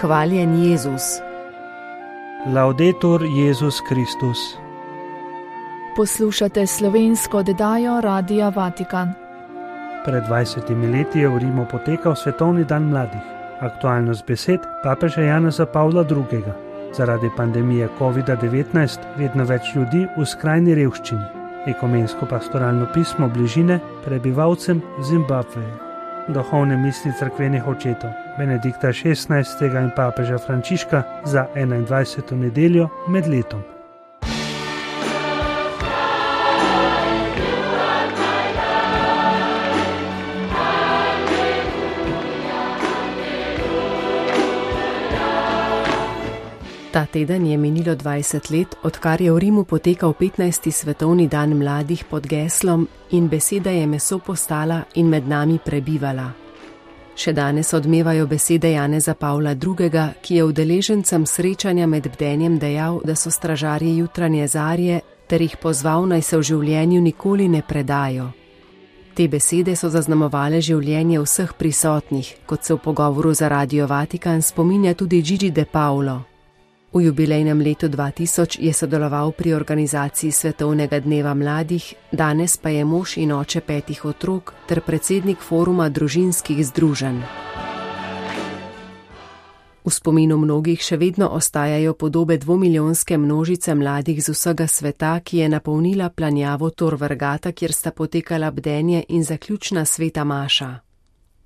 Hvaljen Jezus. Laudetur Jezus Kristus. Poslušate slovensko oddajo Radia Vatikan. Pred 20 leti je v Rimu potekal Svetovni dan mladih. Aktualnost besed papeža Janeza Pavla II. Zaradi pandemije COVID-19 vedno več ljudi v skrajni revščini. Ekumensko pastoralno pismo bližine prebivalcem Zimbabveja. Duhovne misli cerkvenih očetov Benedikta XVI. In papeža Frančiška za 21. nedeljo med letom. Ta teden je minilo 20 let, odkar je v Rimu potekal 15. svetovni dan mladih pod geslom In beseda je meso postala in med nami prebivala. Še danes odmevajo besede Janeza Pavla II., ki je udeležencem srečanja med bdenjem dejal, da so stražarji jutranje zarje, ter jih pozval, naj se v življenju nikoli ne predajo. Te besede so zaznamovale življenje vseh prisotnih, kot se v pogovoru za Radio Vatikan spominja tudi Gigi De Paolo. V jubilejnem letu 2000 je sodeloval pri organizaciji Svetovnega dneva mladih, danes pa je mož in oče 5 otrok ter predsednik foruma družinskih združenj. V spominu mnogih še vedno ostajajo podobe dvomilijonske množice mladih z vsega sveta, ki je napolnila planjavo Tor Vergata, kjer sta potekala bdenje in zaključna sveta maša.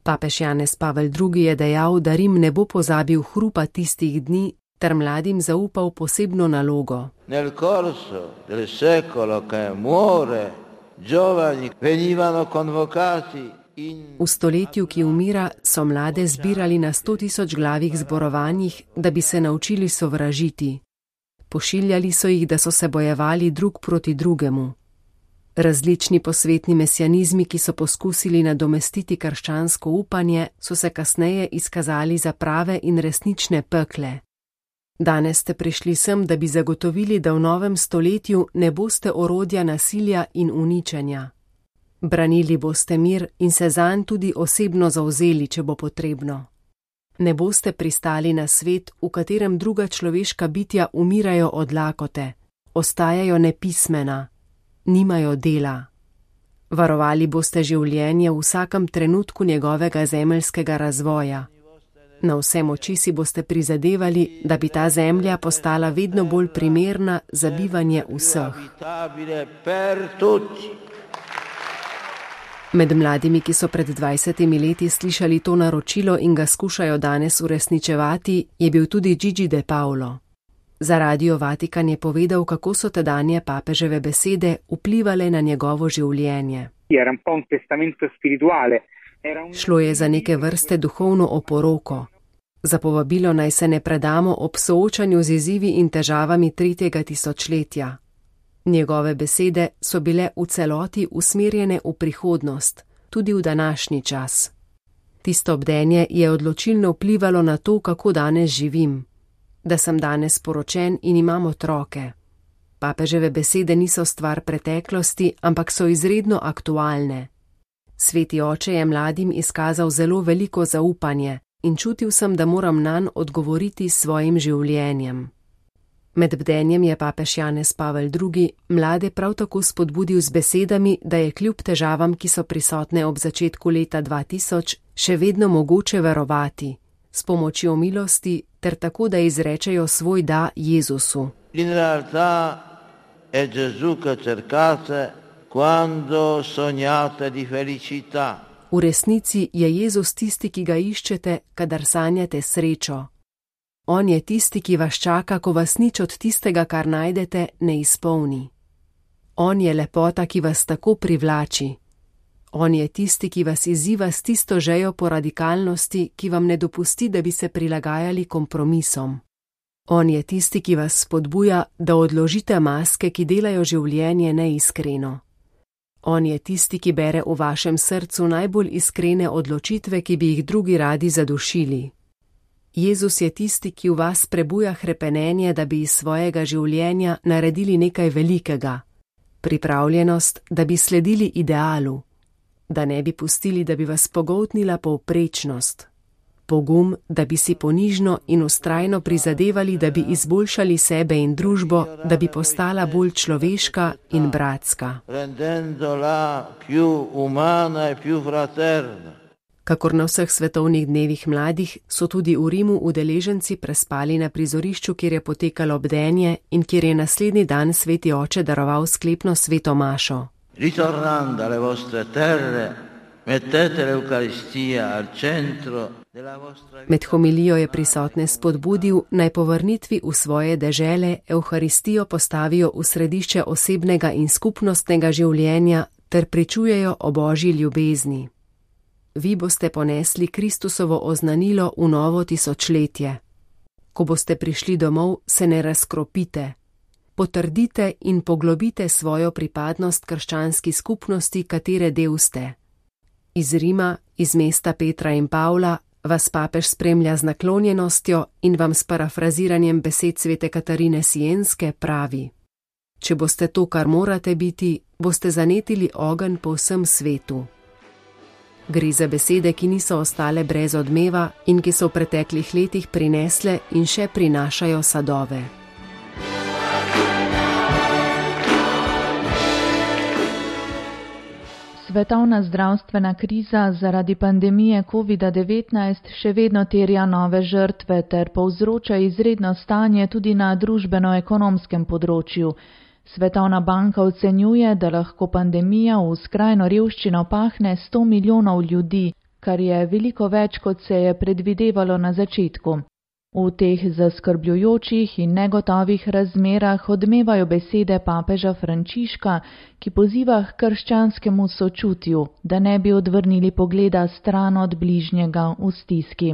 Papež Janez Pavel II. Je dejal, da Rim ne bo pozabil hrupa tistih dni, ter mladim zaupal posebno nalogo. Nel corso del secolo che muore, giovani venivano convocati in... V stoletju, ki umira, so mlade zbirali na 100.000 glavih zborovanjih, da bi se naučili sovražiti. Pošiljali so jih, da so se bojevali drug proti drugemu. Različni posvetni mesianizmi, ki so poskusili nadomestiti krščansko upanje, so se kasneje izkazali za prave in resnične pekle. Danes ste prišli sem, da bi zagotovili, da v novem stoletju ne boste orodja nasilja in uničenja. Branili boste mir in se zanj tudi osebno zavzeli, če bo potrebno. Ne boste pristali na svet, v katerem druga človeška bitja umirajo od lakote, ostajajo nepismena, nimajo dela. Varovali boste življenje v vsakem trenutku njegovega zemeljskega razvoja. Na vse moči si boste prizadevali, da bi ta zemlja postala vedno bolj primerna za bivanje vseh. Med mladimi, ki so pred 20 leti slišali to naročilo in ga skušajo danes uresničevati, je bil tudi Gigi De Paolo. Za Radio Vatikan je povedal, kako so tedanje papeževe besede vplivale na njegovo življenje. Šlo je za neke vrste duhovno oporoko. Za povabilo naj se ne predamo ob soočanju z izzivi in težavami 3. tisočletja. Njegove besede so bile v celoti usmerjene v prihodnost, tudi v današnji čas. Tisto bdenje je odločilno vplivalo na to, kako danes živim. Da sem danes poročen in imam otroke. Papeževe besede niso stvar preteklosti, ampak so izredno aktualne. Sveti oče je mladim izkazal zelo veliko zaupanje in čutil sem, da moram nanj odgovoriti s svojim življenjem. Med bdenjem je papež Janez Pavel II. Mlade prav tako spodbudil z besedami, da je kljub težavam, ki so prisotne ob začetku leta 2000, še vedno mogoče verovati, s pomočjo milosti ter tako, da izrečejo svoj da Jezusu. In realtà è Gesù che cercate quando sognate di felicità. V resnici je Jezus tisti, ki ga iščete, kadar sanjate srečo. On je tisti, ki vas čaka, ko vas nič od tistega, kar najdete, ne izpolni. On je lepota, ki vas tako privlači. On je tisti, ki vas izziva s tisto žejo po radikalnosti, ki vam ne dopusti, da bi se prilagajali kompromisom. On je tisti, ki vas spodbuja, da odložite maske, ki delajo življenje neiskreno. On je tisti, ki bere v vašem srcu najbolj iskrene odločitve, ki bi jih drugi radi zadušili. Jezus je tisti, ki v vas prebuja hrepenenje, da bi iz svojega življenja naredili nekaj velikega. Pripravljenost, da bi sledili idealu. Da ne bi pustili, da bi vas pogoltnila povprečnost. pogum, da bi si ponižno in vztrajno prizadevali, da bi izboljšali sebe in družbo, da bi postala bolj človeška in bratska. Kakor na vseh svetovnih dnevih mladih, so tudi v Rimu udeleženci prespali na prizorišču, kjer je potekalo bdenje in kjer je naslednji dan sveti oče daroval sklepno sveto mašo. Ritornando alle vostre terre, mettete l'Eucaristia al centro della vostra vita. Med homilijo je prisotne spodbudil, naj po vrnitvi v svoje dežele Evharistijo postavijo v središče osebnega in skupnostnega življenja ter pričujejo o Božji ljubezni. Vi boste ponesli Kristusovo oznanilo v novo tisočletje. Ko boste prišli domov, se ne razkropite. Potrdite in poglobite svojo pripadnost krščanski skupnosti, katere del ste. Iz Rima, iz mesta Petra in Pavla, vas papež spremlja z naklonjenostjo in vam s parafraziranjem besed svete Katarine Sienske pravi: Če boste to, kar morate biti, boste zanetili ogenj po vsem svetu. Gre za besede, ki niso ostale brez odmeva in ki so v preteklih letih prinesle in še prinašajo sadove. Svetovna zdravstvena kriza zaradi pandemije COVID-19 še vedno terja nove žrtve ter povzroča izredno stanje tudi na družbeno-ekonomskem področju. Svetovna banka ocenjuje, da lahko pandemija v skrajno revščino pahne 100 milijonov ljudi, kar je veliko več, kot se je predvidevalo na začetku. V teh zaskrbljujočih in negotovih razmerah odmevajo besede papeža Frančiška, ki poziva k krščanskemu sočutju, da ne bi odvrnili pogleda stran od bližnjega v stiski.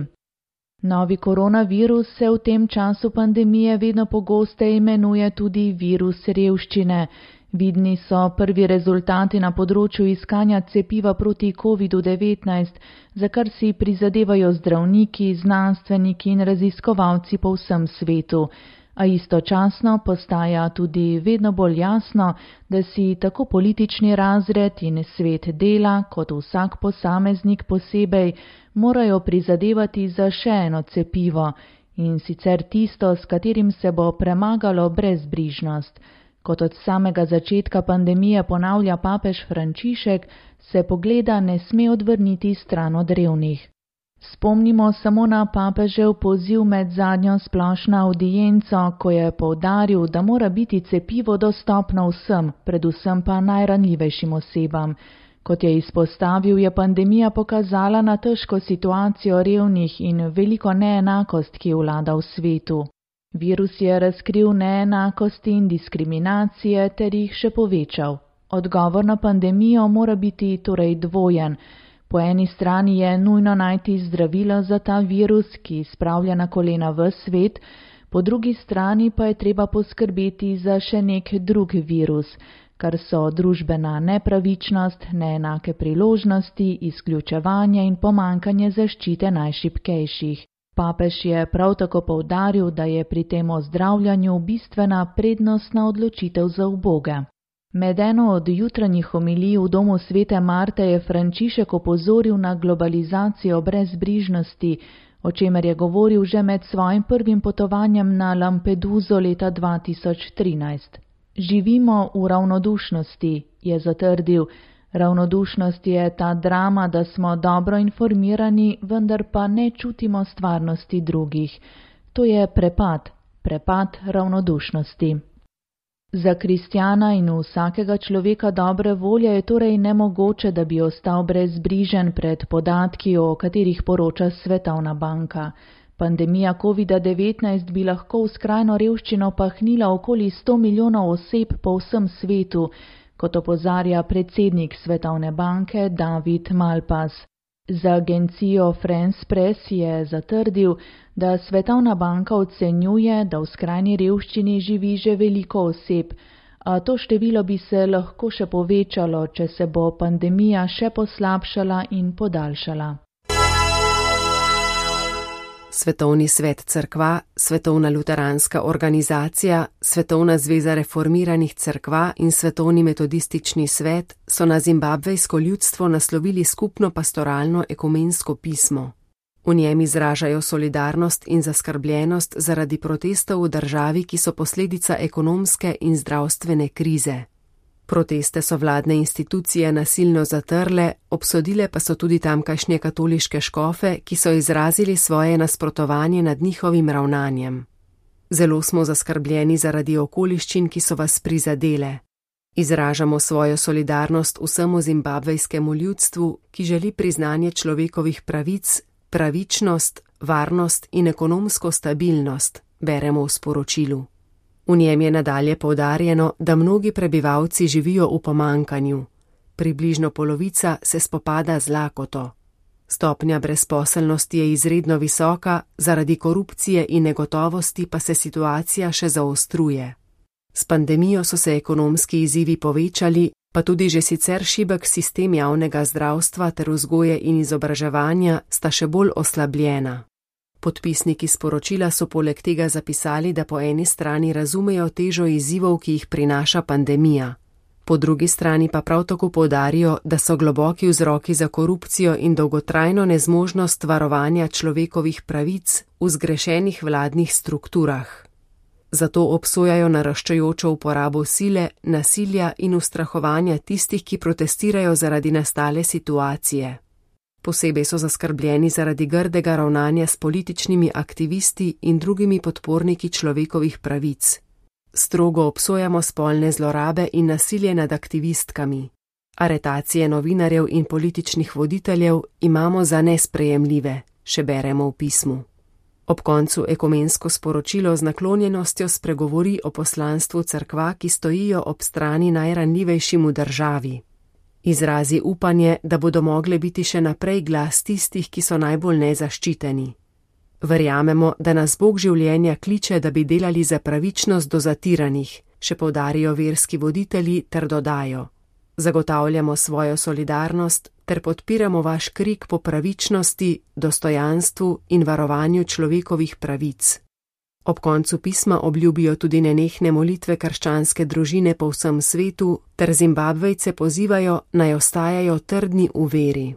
Novi koronavirus se v tem času pandemije vedno pogosteje imenuje tudi virus revščine. Vidni so prvi rezultati na področju iskanja cepiva proti COVID-19, za kar si prizadevajo zdravniki, znanstveniki in raziskovalci po vsem svetu. A istočasno postaja tudi vedno bolj jasno, da si tako politični razred in svet dela, kot vsak posameznik posebej, morajo prizadevati za še eno cepivo, in sicer tisto, s katerim se bo premagalo brezbrižnost. Kot od samega začetka pandemije ponavlja papež Frančišek, se pogleda ne sme odvrniti stran od revnih. Spomnimo samo na papežev poziv med zadnjo splošno avdienco, ko je poudaril, da mora biti cepivo dostopno vsem, predvsem pa najranljivejšim osebam. Kot je izpostavil, je pandemija pokazala na težko situacijo revnih in veliko neenakost, ki vlada v svetu. Virus je razkril neenakosti in diskriminacije ter jih še povečal. Odgovor na pandemijo mora biti torej dvojen. Po eni strani je nujno najti zdravilo za ta virus, ki spravlja na kolena ves svet, po drugi strani pa je treba poskrbeti za še nek drug virus, kar so družbena nepravičnost, neenake priložnosti, izključevanje in pomanjkanje zaščite najšibkejših. Papež je prav tako poudaril, da je pri tem ozdravljanju bistvena prednostna odločitev za uboge. Med eno od jutranjih homilij v domu svete Marte je Frančišek opozoril na globalizacijo brezbrižnosti, o čemer je govoril že med svojim prvim potovanjem na Lampeduso leta 2013. Živimo v ravnodušnosti, je zatrdil. Ravnodušnost je ta drama, da smo dobro informirani, vendar pa ne čutimo stvarnosti drugih. To je prepad ravnodušnosti. Za kristjana in vsakega človeka dobre volje je torej nemogoče, da bi ostal brezbrižen pred podatki, o katerih poroča Svetovna banka. Pandemija COVID-19 bi lahko v skrajno revščino pahnila okoli 100 milijonov oseb po vsem svetu, kot opozarja predsednik Svetovne banke David Malpass. Za agencijo France Press je zatrdil, da Svetovna banka ocenjuje, da v skrajni revščini živi že veliko oseb, a to število bi se lahko še povečalo, če se bo pandemija še poslabšala in podaljšala. Svetovni svet cerkva, Svetovna luteranska organizacija, Svetovna zveza reformiranih cerkva in Svetovni metodistični svet so na zimbabvejsko ljudstvo naslovili skupno pastoralno ekumensko pismo. V njem izražajo solidarnost in zaskrbljenost zaradi protestov v državi, ki so posledica ekonomske in zdravstvene krize. Proteste so vladne institucije nasilno zatrle, obsodile pa so tudi tamkajšnje katoliške škofe, ki so izrazili svoje nasprotovanje nad njihovim ravnanjem. Zelo smo zaskrbljeni zaradi okoliščin, ki so vas prizadele. Izražamo svojo solidarnost vsemu zimbabvejskemu ljudstvu, ki želi priznanje človekovih pravic, pravičnost, varnost in ekonomsko stabilnost, beremo v sporočilu. V njem je nadalje poudarjeno, da mnogi prebivalci živijo v pomanjkanju. Približno polovica se spopada z lakoto. Stopnja brezposelnosti je izredno visoka, zaradi korupcije in negotovosti pa se situacija še zaostruje. S pandemijo so se ekonomski izzivi povečali, pa tudi že sicer šibek sistem javnega zdravstva ter vzgoje in izobraževanja sta še bolj oslabljena. Podpisniki sporočila so poleg tega zapisali, da po eni strani razumejo težo izzivov, ki jih prinaša pandemija. Po drugi strani pa prav tako poudarijo, da so globoki vzroki za korupcijo in dolgotrajno nezmožnost varovanja človekovih pravic v zgrešenih vladnih strukturah. Zato obsojajo naraščajočo uporabo sile, nasilja in ustrahovanja tistih, ki protestirajo zaradi nastale situacije. Posebej so zaskrbljeni zaradi grdega ravnanja s političnimi aktivisti in drugimi podporniki človekovih pravic. Strogo obsojamo spolne zlorabe in nasilje nad aktivistkami. Aretacije novinarjev in političnih voditeljev imamo za nesprejemljive, še beremo v pismu. Ob koncu ekumensko sporočilo z naklonjenostjo spregovori o poslanstvu cerkva, ki stojijo ob strani najranljivejšim v državi. Izrazi upanje, da bodo mogle biti še naprej glas tistih, ki so najbolj nezaščiteni. Verjamemo, da nas Bog življenja kliče, da bi delali za pravičnost do zatiranih, še poudarijo verski voditelji ter dodajo. Zagotavljamo svojo solidarnost ter podpiramo vaš krik po pravičnosti, dostojanstvu in varovanju človekovih pravic. Ob koncu pisma obljubijo tudi nenehne molitve krščanske družine po vsem svetu ter Zimbabvejce pozivajo, naj ostajajo trdni v veri.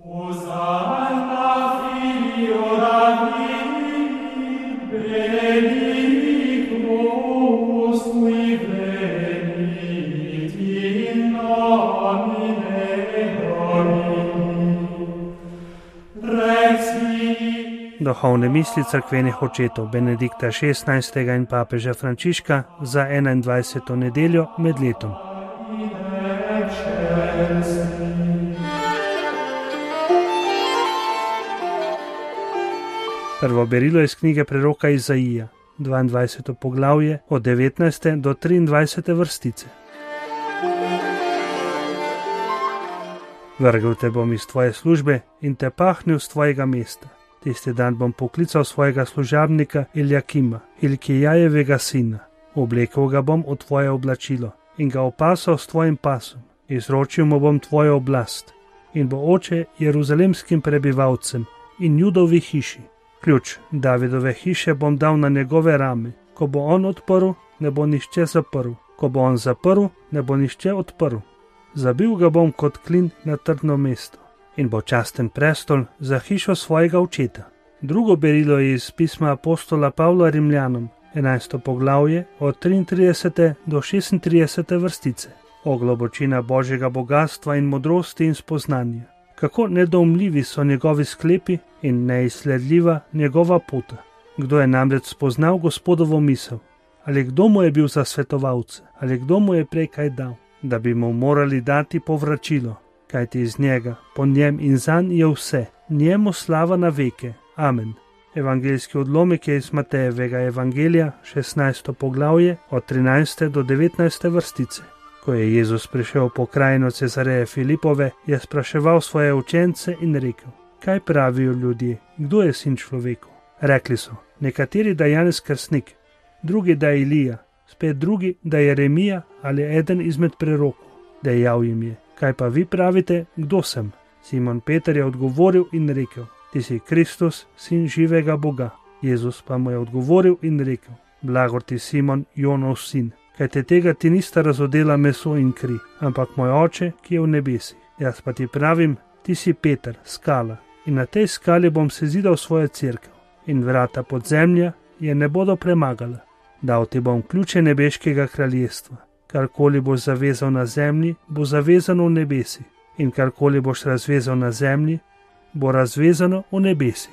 Duhovne misli cerkvenih očetov Benedikta XVI. In papeža Frančiška za 21. nedeljo med letom. Prvo berilo iz knjige preroka Izaija, 22. poglavje od 19. do 23. vrstice. Vrgel te bom iz tvoje službe in te pahnil z tvojega mesta. Tisti dan bom poklical svojega služabnika Iljakima, Ilkijajevega sina. Oblekel ga bom v tvoje oblačilo in ga opasal s tvojim pasom. Izročil mu bom tvojo oblast in bo oče jeruzalemskim prebivalcem in Judovi hiši. Ključ Davidove hiše bom dal na njegove rame. Ko bo on odprl, ne bo nihče zaprl. Ko bo on zaprl, ne bo nihče odprl. Zabil ga bom kot klin na trdno mesto in bo časten prestol za hišo svojega očeta. Drugo berilo je iz pisma apostola Pavla Rimljanom, 11. poglavje od 33. do 36. vrstice. O globočina Božjega bogatstva in modrosti in spoznanja. Kako nedoumljivi so njegovi sklepi in neizsledljiva njegova pota. Kdo je namreč spoznal Gospodovo misel? Ali kdo mu je bil za svetovalce? Ali kdo mu je prej kaj dal? Da bi mu morali dati povračilo. Kajti iz njega, po njem in zanj je vse, njemu slava na veke. Amen. Evangeljski odlomek je iz Matejevega evangelija, 16. poglavje, od 13. do 19. vrstice. Ko je Jezus prišel v pokrajino Cezareje Filipove, je spraševal svoje učence in rekel: Kaj pravijo ljudje, kdo je sin človekov? Rekli so, nekateri, da je Janez Krstnik, drugi, da je Ilija, spet drugi, da je Jeremija ali eden izmed prerokov. Dejal jim je: Kaj pa vi pravite, kdo sem? Simon Peter je odgovoril in rekel: Ti si Kristus, sin živega Boga. Jezus pa mu je odgovoril in rekel: Blagor ti, Simon, Jonov sin, kajte tega ti nista razodela meso in kri, ampak moj oče, ki je v nebesih. Jaz pa ti pravim, ti si Peter, skala, in na tej skali bom sezidal svojo cerkev, in vrata podzemlja je ne bodo premagala. Dal ti bom ključe nebeškega kraljestva. Karkoli boš zavezal na zemlji, bo zavezano v nebesi, in karkoli boš razvezal na zemlji, bo razvezano v nebesi.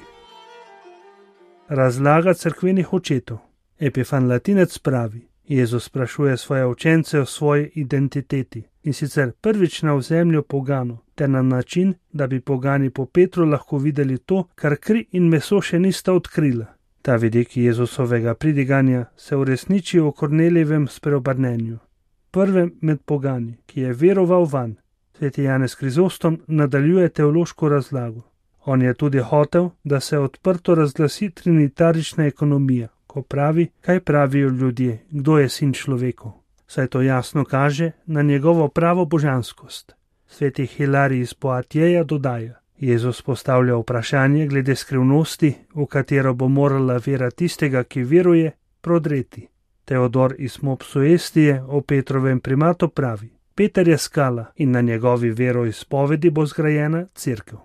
Razlaga cerkvenih očetov. Epifan Latinec pravi: Jezus sprašuje svoje učence o svoji identiteti, in sicer prvič na ozemlju poganov, ter na način, da bi pogani po Petru lahko videli to, kar kri in meso še nista odkrila. Ta vidik Jezusovega pridiganja se uresniči v Kornelijevem spreobrnenju, prvem med pogani, ki je veroval vanj. Sveti Janez Krizostom nadaljuje teološko razlago. On je tudi hotel, da se odprto razglasi trinitarična ekonomija, ko pravi, kaj pravijo ljudje, kdo je sin človekov. Saj to jasno kaže na njegovo pravo božanskost. Sveti Hilarij iz Poatjeja dodaja: Jezus postavlja vprašanje glede skrivnosti, v katero bo morala vera tistega, ki veruje, prodreti. Teodor iz Mopsuestije o Petrovem primatu pravi: Peter je skala in na njegovi veroizpovedi bo zgrajena cerkev.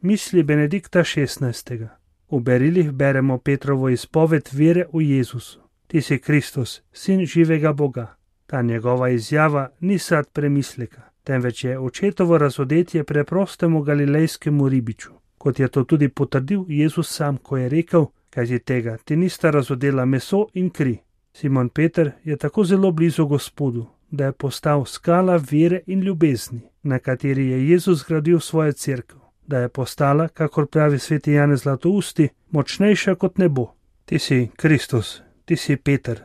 Misli Benedikta XVI. V berilih beremo Petrovo izpoved vere v Jezusu. Ti si Kristus, sin živega Boga. Ta njegova izjava ni sad premisleka, temveč je očetovo razodetje preprostemu galilejskemu ribiču, kot je to tudi potrdil Jezus sam, ko je rekel: kajti tega ti nista razodela meso in kri. Simon Peter je tako zelo blizu Gospodu, da je postal skala vere in ljubezni, na kateri je Jezus zgradil svojo cerkev, da je postala, kakor pravi sveti Janez Zlatousti, močnejša kot nebo. Ti si Kristus, ti si Peter.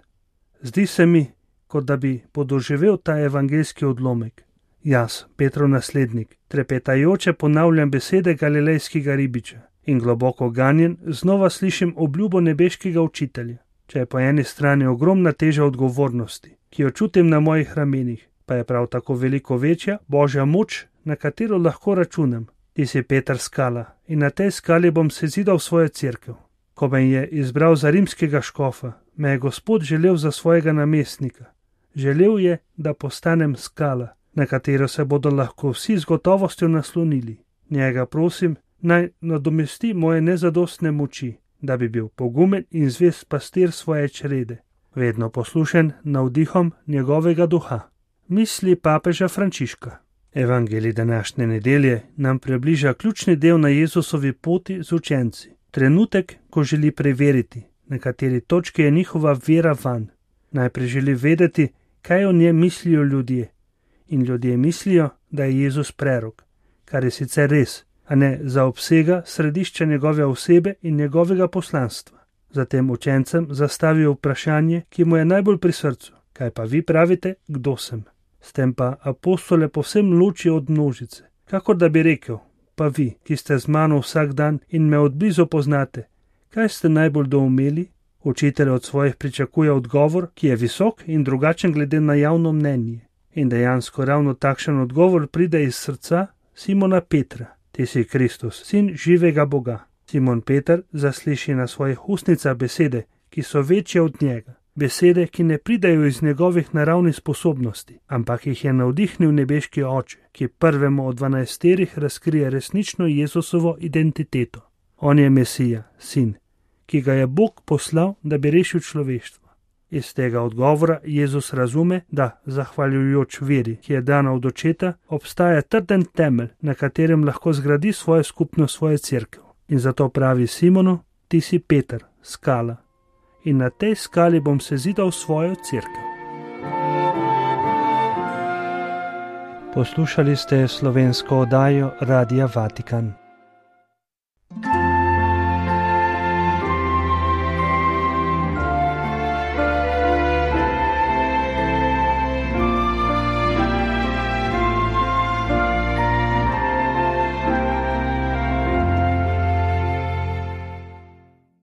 Zdi se mi, kot da bi podoživel ta evangeljski odlomek. Jaz, Petrov naslednik, trepetajoče ponavljam besede galilejskega ribiča in globoko ganjen znova slišim obljubo nebeškega učitelja. Če je po eni strani ogromna teža odgovornosti, ki jo čutim na mojih ramenih, pa je prav tako veliko večja Božja moč, na katero lahko računam. Ti si Peter skala in na tej skali bom sezidal svojo cerkev. Ko me je izbral za rimskega škofa, me je Gospod želel za svojega namestnika. Želel je, da postanem skala, na katero se bodo lahko vsi z gotovostjo naslonili. Njega prosim, naj nadomesti moje nezadostne moči, da bi bil pogumen in zvest pastir svoje črede, vedno poslušen navdihom njegovega duha. Misli papeža Frančiška. Evangelij današnje nedelje nam približa ključni del na Jezusovi poti z učenci. Trenutek, ko želi preveriti, na kateri točki je njihova vera vanj. Najprej želi vedeti, kaj o njem mislijo ljudje. In ljudje mislijo, da je Jezus prerok, kar je sicer res, a ne zaobsega središča njegove osebe in njegovega poslanstva. Zatem učencem zastavijo vprašanje, ki mu je najbolj pri srcu. Kaj pa vi pravite, kdo sem? S tem pa apostole povsem loči od množice. Kakor da bi rekel: pa vi, ki ste z mano vsak dan in me odblizu poznate, kaj ste najbolj doumeli? Učitelj od svojih pričakuje odgovor, ki je visok in drugačen glede na javno mnenje. In dejansko ravno takšen odgovor pride iz srca Simona Petra. Ti si Kristus, sin živega Boga. Simon Peter zasliši na svojih ustnicah besede, ki so večje od njega. Besede, ki ne pridajo iz njegovih naravnih sposobnosti, ampak jih je navdihnil nebeški oče, ki prvemu od 12 razkrije resnično Jezusovo identiteto. On je Mesija, sin, ki ga je Bog poslal, da bi rešil človeštvo. Iz tega odgovora Jezus razume, da, zahvaljujoč veri, ki je dana od očeta, obstaja trden temelj, na katerem lahko zgradi svojo skupnost, svojo cerkev. In zato pravi Simonu: ti si Peter, skala. In na tej skali bom sezidal svojo cerkev. Poslušali ste slovensko oddajo Radia Vatikan.